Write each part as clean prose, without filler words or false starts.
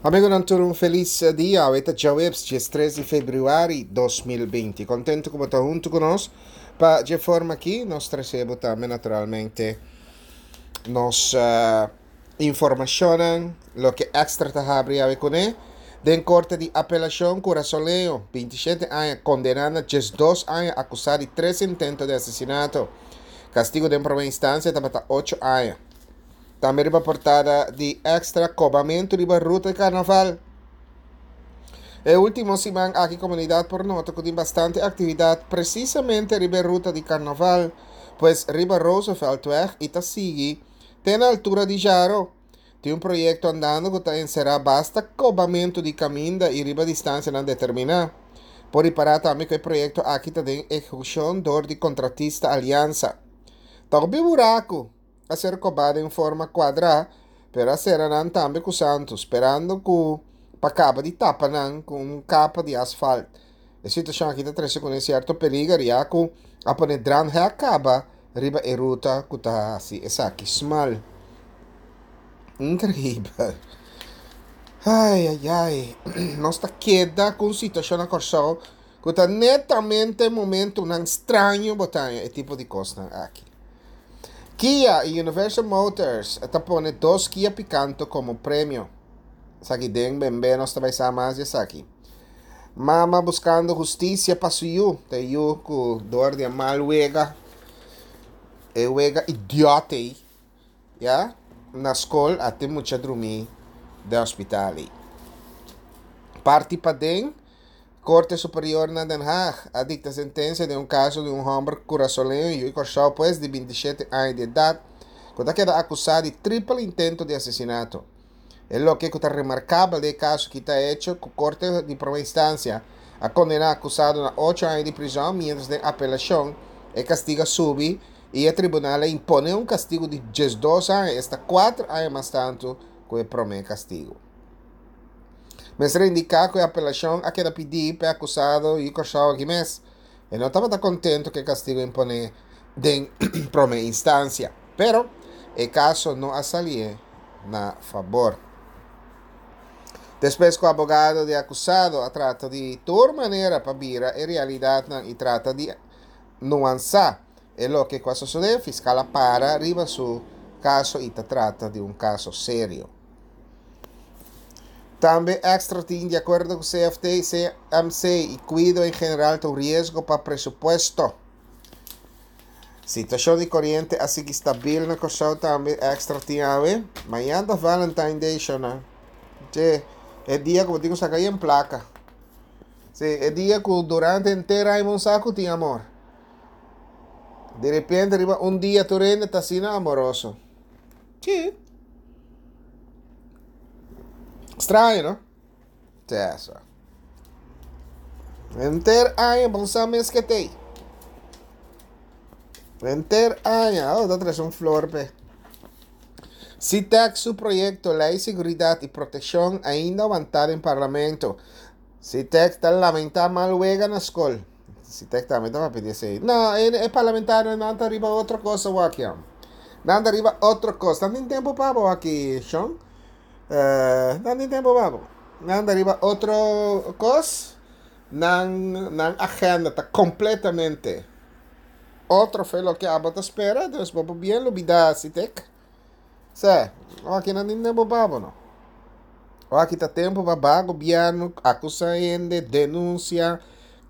Amigonan tur un felis dia. Awe ta djaweps 13 di februari 2020. Contento cu bo ta hunto cu nos pa dje forma aki nos trece bo tambe naturalmente nos uh, informacionnan loke Extra ta habri awe cune. Den corte di apelacion Curazoleño, 27 aña, condena na 12 aña acusa di tres intento di asesinato. Castigo den prome instancia tabata 8 aña. Tambe riba portada di Extra Kobamentu riba ruta di karnaval. E último siman aki komunidat por nota ku tin bastante aktividat presisamente riba e ruta di karnaval, pues riba Rooseveltweg i ta sigui te na altura di Jaro. Tin un proyekto andando ku ta enserá basta kobamentu di kaminda i riba distansianan determiná. Por ripará tambe ku e proyekto aki ta den ehekushon dor di kontratista Aliansa. Ta hopi buraku! a ser kobá den forma kuadrá, pero a sera nan tambe ku santu, sperando ku pa kaba di tapa nan ku un kapa di asfalt. E situashon aki ta trese kuné sierto peliger ya ku a pone dranghek kaba riba e ruta ku ta hasi esaki smal. Inkreibel. Ai ai ai, nos ta keda ku un situashon na Kòrsou ku ta netamente momentunan straño bo ta haña e tipo di kosnan aki. Kia y Universal Motors ta pone dos Kia Picanto como premio. Esaki den benbe nos ta bay sa mas di esaki. Mama buscando husticia pa su yu. Ta e yu cu door di e mal wega, e wega idiota ey, ya, na scol a tin mucha drumi den hospital ey. Parti paden. Korte Superior na Den Haag a dikta sentensia den un kaso di un hòmber kurasoleño yu di Kòrsou pues di 27 aña di edat ku ta keda akusá di tripel intento di asesinato. E loke ku ta remarkabel den e kaso aki ta echo ku Korte di Prome Instansia a kondená akusado na ocho aña di prizòn miéntras den apelashon e kastigu a subi i e tribunal a imponé un kastigu di 12 aña, esta kuater aña mas tantu ku e promé kastigu. Mester indiká ku e apelashon a keda pidí pa e akusado i Kòrsou aki mes. E no tabata kontentu ku e kastigu imponé den promé instansia. Pero e kaso no a salié na fabor. Despues ku abogado di e akusado a trata di tur manera pa bira e realidatnan i trata di nuansá e loke ku a sosodé, fiskal a para riba su kaso i ta trata di un kaso serio. Tambe Extra tin di akuerdo ku CFT, CMC i kuido en general ta un riesgo pa presupuesto. Situashon di koriente a sigui stabil na Kòrsou tambe Extra tin awe. Mañan ta Valentine Day shona. Che, e dia ku bo tin ku saka yen plaka. Si, e dia ku durante henter aña bo no sa ku tin amor. Di repente riba un dia tur hende ta asina amoroso. Sí. Straño, no? Tesa. Henter aña bon sa mes ke tei. Henter aña, oh, ta trese un flor pe. CITEC su proyecto Ley Seguridad y Proteccion ainda wantá den Parlamento. CITEC ta lamentá mal wega na skol. Sitek tambe ta papia di esei. No, e, e parlamentarionan ta riba otro kos awor aki, hom. Nan ta riba otro kos. Nan tin tempo pa bo aki, Shon. Eh, nan tin tempo pa bo. Nan ta riba otro kos. Nan, nan agenda ta completamente otro fe loke abo ta spera. Dus bo por bien lubida, Sitek. Sè, awor aki nan tin tempo pa bo, no. Awor aki ta tempo pa ba gobierno, acusa hende, denuncia,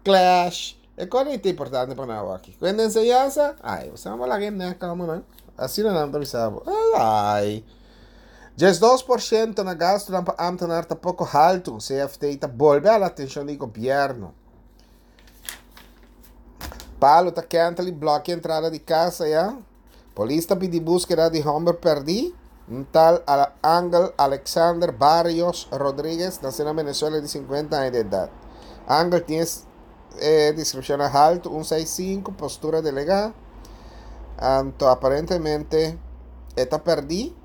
clash. E cosa ta importante pa nan awor aki. Cu hende enseñansa? Ay, bo sa bo laga e nek amo nan. Asina nan ta bisa bo. Ay. 12% na gastonan pa ambtenaar ta poco halto. CFT ta bolbe ala atencion di gobierno. Palo ta kentel y blokea entrada di casa ya. Polis ta pidi búskeda di hòmber pèrdí, un tal Angel Alexander Barrios Rodriguez, nasé na Venezuela di 50 aña di edat. Angel tin e deskripshonnan haltu, un seis sinku, postura delegá, anto aparentemente e ta pèrdí.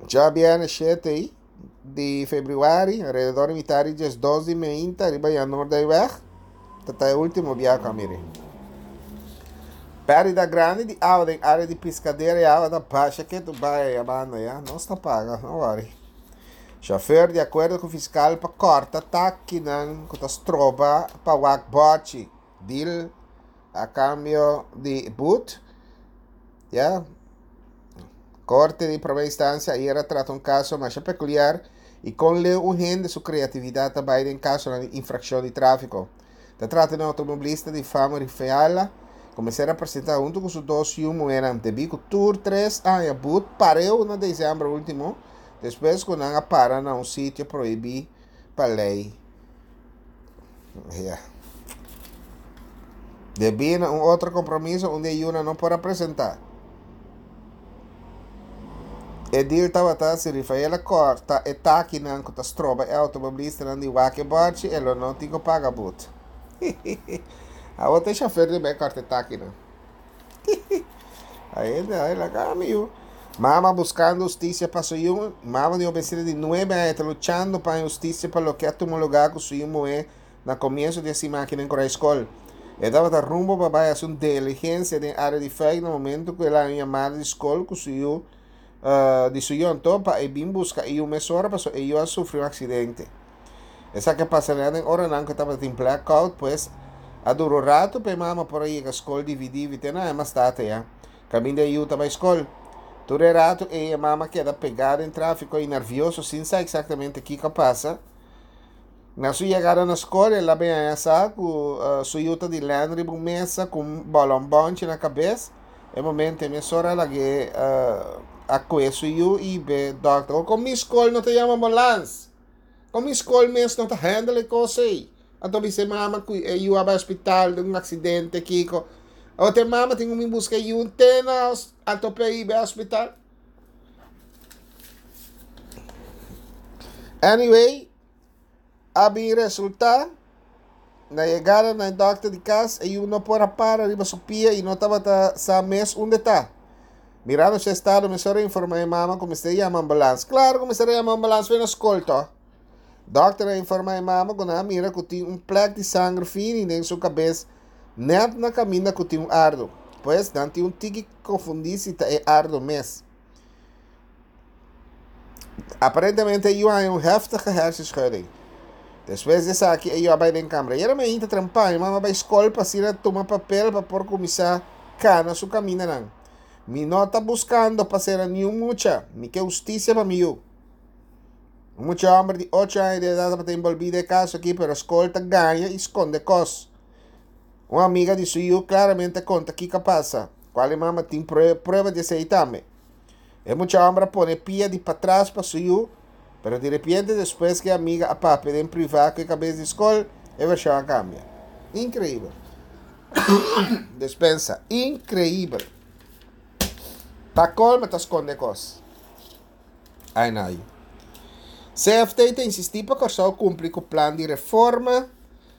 Djabièrnè shete di febrüari, alrededor di mitad di 12 di meinta riba Jan Noorduyweg, ta ta e ultimo biaha cu a miri. Perdida grandi di awa den area di piscadera y awa ta basha ketu bai aya banda ya, nos ta paga, no worry. Chauffeur di akuerdo ku fiskal pa kòrta takinan ku ta stroba pa wak bòchi, deal a kambio di but. Ya. Korte di promé instansia ayer a trata un kaso masha pekuliar i kon leu un hende su kreatividat ta bai den kasonan di infrakshon di tráfiko. Ta trata di un outomobilista di fama Rifiala ku mester a presentá huntu ku su dos yu muhénan debí ku tur tres aña but pareu na desèmber último despues ku nan a para na un sitio prohibí pa lei. Ya. Debí na un otro kompromiso un di e yunan no por a presentá. E deal tabata si Rifael a kòrta e takinan ku ta stroba e outomobilistanan di wak e bòrchi e lo no tin ku paga but. Awor ta e shofèr di bai kòrta e takinan. Ai ai laga mi yu. Mama buskando hustisia pa su yu. Mama di un besina di nuebe aña ta luchando pa haña hustisia pa loke a tuma lugá ku su yu muhé na komienso di e siman aki den Korai Skol. E tabata rumbo pa bai hasi un diligensia den área di Fuik na momento ku el a haña un yamada di skol ku su yu di su yu anto pa e bin buska e yu mesora pasobra e yu a sufri un aksidente. Esaki a pasa nèt den oranan ku e tabatin blackout, pues a dura un ratu pa e mama por a yega skol dividivi te na e mas tata ya, kaminda e yu ta bai skol. Tur e ratu ei e mama keda pegá den tráfiko i nervioso sin sa eksaktamente kiko a pasa. Na su yegada na skol el a bin haña sa ku su yu ta di lèn riba un mesa ku un bòlònbònchi na kabes. E momento ei mesora a lag'é a kue su yu i be dòkter. Oko mi skol no ta yama ambulans? Kon mi skol mes no ta handle e kos ei? Anto bisa e mama ku e yu a bai hospital den un aksidente kiko. Awor te mama tin ku bin buska e yu te na anto p'e bai hospital. Anyway, a bin resulta na yegada na e dòkter di kas e yu no por a para riba su pia i no tabata sa mes unda e ta. Mirando su estado mesora a informa e mama ku mester yama ambulans. Klaro ku mester a yama ambulans bai na skol to. Dòkter a informa e mama ku nan a mira ku tin un plek di sanger fini den su kabes nèt na kaminda ku tin un ardo. Pues nan tin un tiki konfundí si ta e ardo mes. Aparentemente e yu a haña un heftige hersenschudding. Despues di esaki e yu a bai den kamber. Ayera mi ainda trempa, mi mama bai skol pa asina tuma papel pa por kuminsá kana su kamindanan. Mi no ta buskando pa sera niun mucha, mi ke hustisia pa mi yu. Un mucha hòmber di ocho aña di edat tabata enbolbí den e kaso aki, pero skol ta gaña i skonde kos. Un amiga di su yu klaramente a konta kiko a pasa, kual e mama tin prueba di esei tambe. E mucha hòmber a pone pia di patras pa su yu, pero di repente despues ku e amiga a papia den privá ku e kabes di skol, e vershon a kambia. Inkreibel. Despensa. Inkreibel. Pa kolmo ta skonde kos. Ai na yu. CFT ta insistí pa Kòrsou kumpli ku plan di reforma.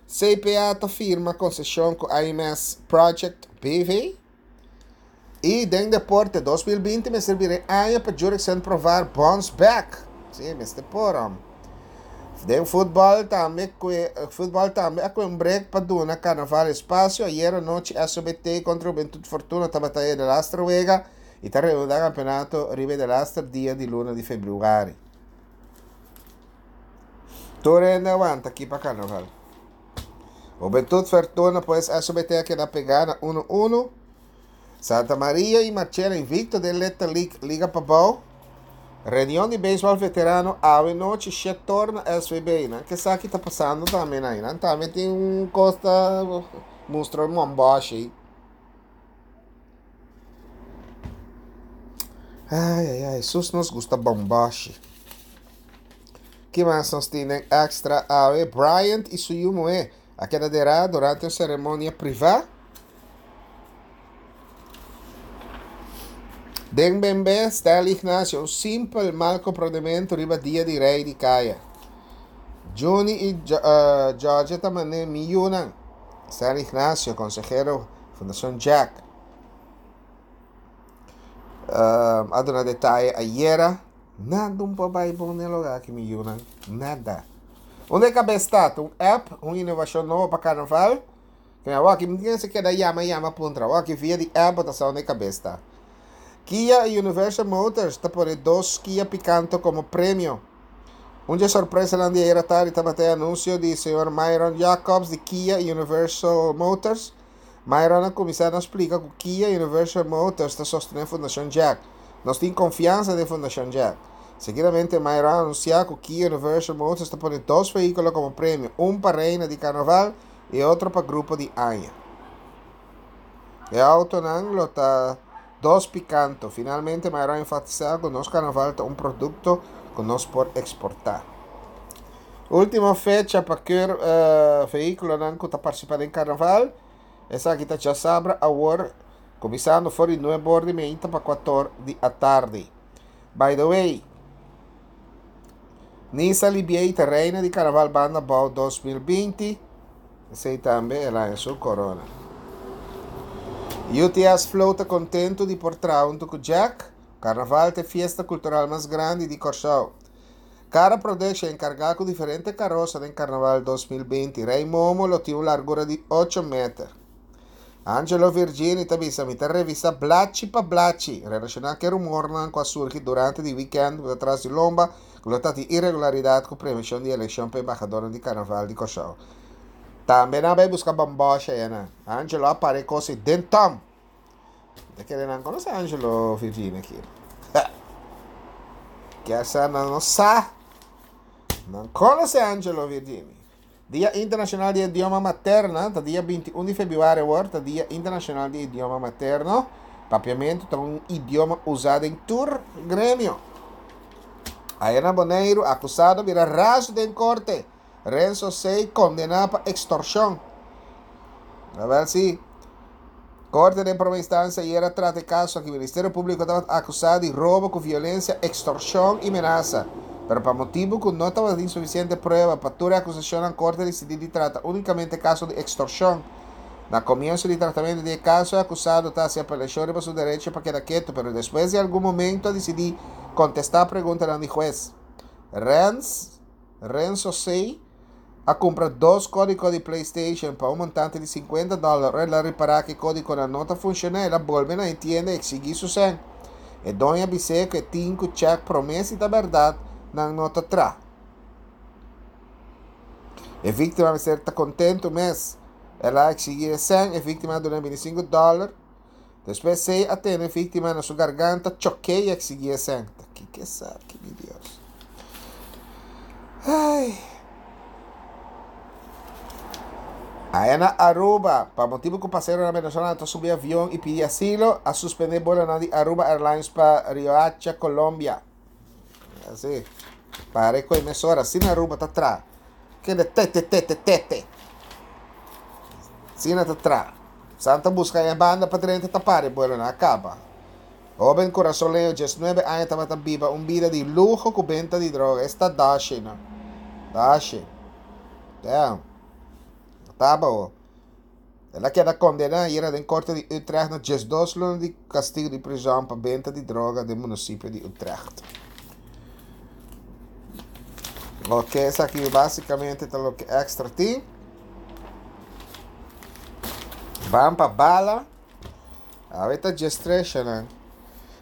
CPA ta firma konseshon ku IMS Project BV. I den deporte, 2020 mester bira e aña pa Jurickson Provar bounce back. Sí, mester por hom. Den futbòl tambe kue futbòl tambe a kue un break pa duna Carnaval espasio. Ayera nochi SOBT kontra Juventud Fortuna tabata e delaster wega i ta reanudá kampeonato riba e delaster dia di luna di febrüari. Tur hende a wanta aki pa Carnaval. Juventud Fortuna pues SOBT a keda pegá na uno uno. Santa Maria y Marchena invicto den Little League Liga Pabou. Reunion di beisbol veterano awe nochi shet tor na SVB. Nan ke sa ki ta pasando tambe nan. Nan tambe tin un kos ta mustra un momboshi. Ai ai ai, sus nos gusta bomboshi. Ki mas nos tin den extra awe? Bryant y su yu muhé a keda derá durante un ceremonia privá. Den Bembe, Stanley Ignacio, un simpel mal komprondementu riba dia di rei di kaya. Juni i Georgia ta man'é mi yunan. Stanley Ignacio, konsehero Fundashon Jack, a duna detaye ayera. Nada un por bai bon den loga aki mi yunan, nada. Unda e kabes ta? Ta un app, un inovashon nobo pa karnaval? Kende awor mi tin keda yama yama puntra awor aki via di app bo ta sa unda e kabes ta. Kia y Universal Motors ta pone dos Kia Picanto komo premio. Un dje sorpresanan di ayera tardi tabata e anunsio di señor Myron Jacobs di Kia y Universal Motors. Myron a kuminsá na splika ku Kia y Universal Motors ta sostené Fundashon Jack. Nos tin konfiansa den Fundashon Jack. Seguidamente Myron a anunsiá ku Kia y Universal Motors ta pone dos vehíkulo komo premio, un pa Reina di Karnaval y otro pa Grupo di Aña. E autonan lo ta dos picanto. Finalmente Myron a enfatisa cu nos carnaval ta un producto cu nos por exporta. Ultimo fecha pa keur vehiculonan cu ta participa den carnaval. Esaki ta djasabra awor cuminsando for di nuebe or di meinta pa cuator di atardi. By the way, Nisa Libiey ta reina di carnaval Banda Abou 2020. Esei tambe el haña su korona. UTS Flow ta kontentu di por traha huntu ku Jack. Karnaval ta e fiesta kultural mas grandi di Kòrsou. Kara Production enkargá ku diferente karosa den Karnaval 2020. Rei Momo lo tin un largura di ocho meter. Angelo Virgini ta bisa mi ta revisa blachi pa blachi relashoná ku e rumornan ku a surgi durante di wikènt ku ta tras di lomba ku lo ta tin iregularidat ku prevenshon di elekshon pa embahadornan di Karnaval di Kòrsou. Tambe nan a bai buska bòmbòsha ya nan. Angelo a para e kos ei den tòm. Mi ta kere nan konosé Angelo Virgini aki. Kier sa nan no sa. Nan konosé Angelo Virgini. Dia Internashonal di Idioma Materna ta dia 21 di febrüari awor ta Dia Internashonal di Idioma Materno. Papiamentu ta un idioma usá den tur gremio. Aya na Boneiru, akusado bira razu den korte. Renzo Sey kondená pa ekstorshon. Awèl si. Korte den prome instansia ayer a trata e kaso aki. Ministerio Públiko tabata akusá di robo ku violensia, ekstorshon i menasa. Pero pa motibu ku no tabatin sufisiente prueba pa tur e akusashonnan korte a disidí di trata únikamente e kaso di ekstorshon. Na komienso di tratamentu di e kaso e akusado ta hasi apelashon riba su derecho pa keda ketu, pero despues di algun momento a disidí kontestá preguntanan di hues. Renz. Renzo Sey a kumpra dos kódiko di PlayStation pa un montante di 50 dòler. Ora el a ripará ku e kódikonan no ta funshoná, el a bolbe na e tienda i eksigí su sèn. E doño a bis'é ku e tin ku chèk promé si ta bèrdat nan no ta tra. E víktima mester ta kontentu mes. El a eksigí e sèn, e víktima a duna 25 dòler. Despues Sey a tene e víktima na su garganta, chok'é i eksigí e sèn. Ta kiko esaki, mi Dios? Ai. Aya na Aruba, pa motibu ku paseronan venezolano ta subi avion i pidi asilo, a suspendé buelonan di Aruba Airlines pa Riohacha, Colombia. Así. Pare ku e mesora, asina Aruba ta traha. Kende tete tete tete. Asina ta traha. San ta buska e banda pa drenta ta para e buelonan a kaba. Hoben kurasoleño 19 aña tabata biba un bida di luho ku benta di droga. Esta dashi no. Dashi. Damn. Taba ho. El a keda kondená ayera den korte di Utrecht na 12 luna di kastigu di prizòn pa benta di droga den munisipio di Utrecht. Ok, esaki básicamente ta loke extra tin. Ban pa bala. Awe ta djestreshanan.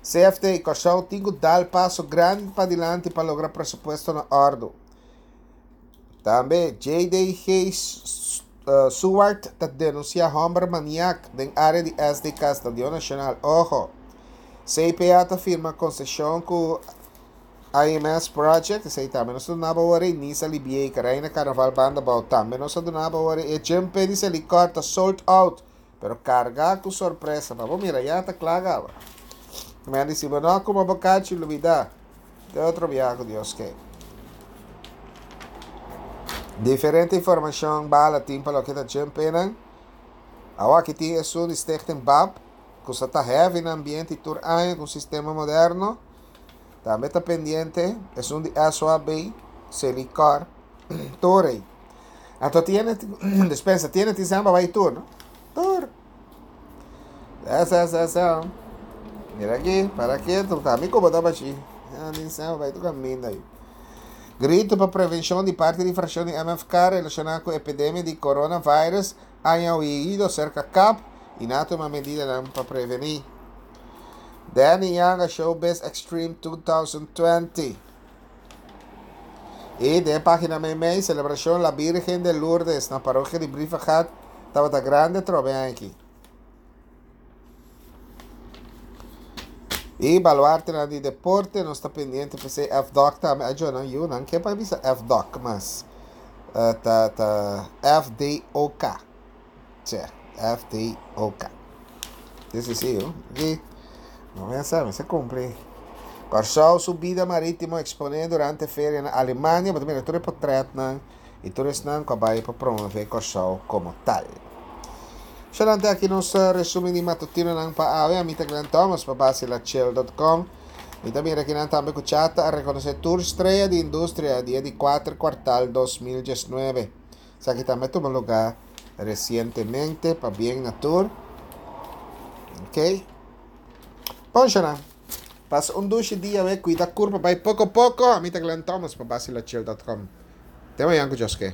CFT, Kòrsou tin ku dal paso grandi padilanti pa logra presupuesto na òrdu. Tambe JDG Suwart ta denunsiá hòmber maniak den área di SDK Stadion Nashonal. Oho! CPA ta firma konseshon ku IMS Project, esei tambe nos a duna bo awor ei, Nisa Libieka, Reina Karnaval Banda Bou tambe nos a duna bo awor ei, e Jumpe di Selikor ta sold out, pero karga ku sorpresa, pa bo mira ya ta kla gaba. Mi a disi bo no kuma bo kachi lubida, te otro biaha ku Dios ke. Diferente informashon bala tin pa loke ta Jumpenan. Awor aki tin esun di Stichting Bab, ku sa ta heavy na ambiente tur aña ku un sistema moderno. Tambe ta pendiente esun di SOAB, Selikor, Torey. Anto tiene, despensa, tiene tin samba bai tur, no? Tur. Esa, esa, esa. Mira aquí, para quieto, ta mi como ta bachi. Tin samba bai tur caminda ahí. Grito pa prevenshon di parti di frakshon di MFK relashoná ku epidemia di coronavirus aña oido serka kap i nan a tuma medidanan pa prevení. Danny Yanga Showbiz Extreme 2020. I den e página meimei, selebrashon La Virgen de Lourdes na parokia di Brievengat tabata grandi atrobe aki. I baluartenan di deporte, nos ta pendiente p'esei FDOK tambe a djona yunan ke pa bisa FDOK mas ta ta FDOK. Tje, FDOK. Si si si yo. Di no me sa, me sa kumpli. Kòrsou su bida marítimo eksponé durante feria na Alemania. Bo ta mira tur e potretnan i tur esnan ku a bai pa promové Kòrsou komo tal. Shalante aki nos resumen di matutinonan pa awe. Ami ta Glenn Thomas pa Basilachel dot com. Mi ta mira kinan tambe ku Chata a rekonosé tur strea di industria dia di kuater kuartal 2019. Esaki tambe a tuma lugá resientemente. Pabien na tur. Ok. Bon shana. Pasa un dushi dia we. Kuida kurpa bai poko poko. Ami ta Glenn Thomas pa Basilachel dot com. Te mañan ku Dios ke.